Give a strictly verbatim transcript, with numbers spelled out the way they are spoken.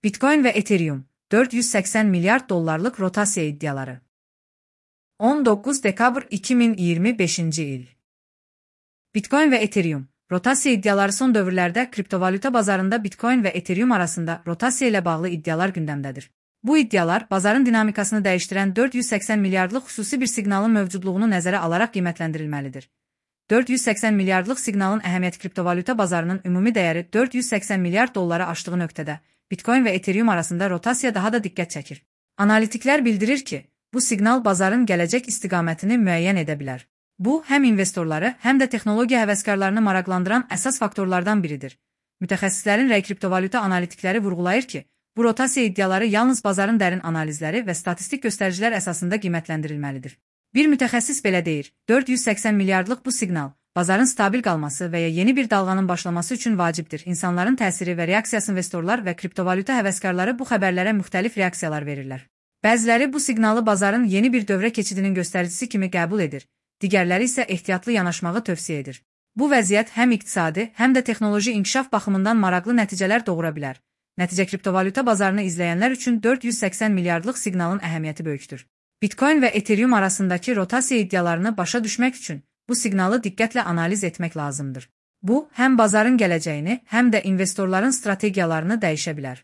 Bitcoin ve Ethereum, dört yüz seksen milyar dollarlık rotasya iddiaları. on dokuz Dekabr iki bin iyirmi beşinci il. Bitcoin ve Ethereum, rotasya iddiaları son dövrlerde kriptovalyuta bazarında Bitcoin ve Ethereum arasında rotasya ile bağlı iddialar gündemdedir. Bu iddialar, bazarın dinamikasını değiştiren dört yüz seksen milyarlık xüsusi bir siqnalın mövcudluğunu nəzərə alaraq qiymətləndirilməlidir. dört yüz seksen milyarlıq siqnalın əhəmiyyəti kriptovalyuta bazarının ümumi dəyəri dört yüz seksen milyar dolları aşdığı nöqtədə, Bitcoin ve Ethereum arasında rotasya daha da diqqət çəkir. Analitiklər bildirir ki, bu siqnal bazarın gələcək istiqamətini müəyyən edə bilər. Bu, həm investorları, həm də texnologiya həvəskarlarını maraqlandıran əsas faktorlardan biridir. Mütəxəssislərin rəy kriptovalyuta analitikləri vurğulayır ki, bu rotasiya iddiaları yalnız bazarın dərin analizləri və statistik göstəricilər əsasında qiymətləndirilməlidir. Bir mütəxəssis belə deyir, dörd yüz seksen milyardlıq bu siqnal, bazarın stabil qalması və ya yeni bir dalğanın başlaması üçün vacibdir. İnsanların təsiri və reaksiyası investorlar və kriptovalyuta həvəskarları bu xəbərlərə müxtəlif reaksiyalar verirlər. Bəziləri bu siqnalı bazarın yeni bir dövrə keçidinin göstəricisi kimi qəbul edir, digərləri isə ehtiyatlı yanaşmağı tövsiyə edir. Bu vəziyyət həm iqtisadi, həm də texnoloji inkişaf baxımından maraqlı nəticələr doğura bilər. Nəticə kriptovalyuta bazarını izləyənlər üçün dörd yüz seksen milyardlıq siqnalın əhəmiyyəti böyükdür. Bitcoin və Ethereum arasındakı rotasiya iddialarını başa düşmək üçün bu siqnalı diqqətlə analiz etmək lazımdır. Bu, həm bazarın gələcəyini, həm də investorların strategiyalarını dəyişə bilər.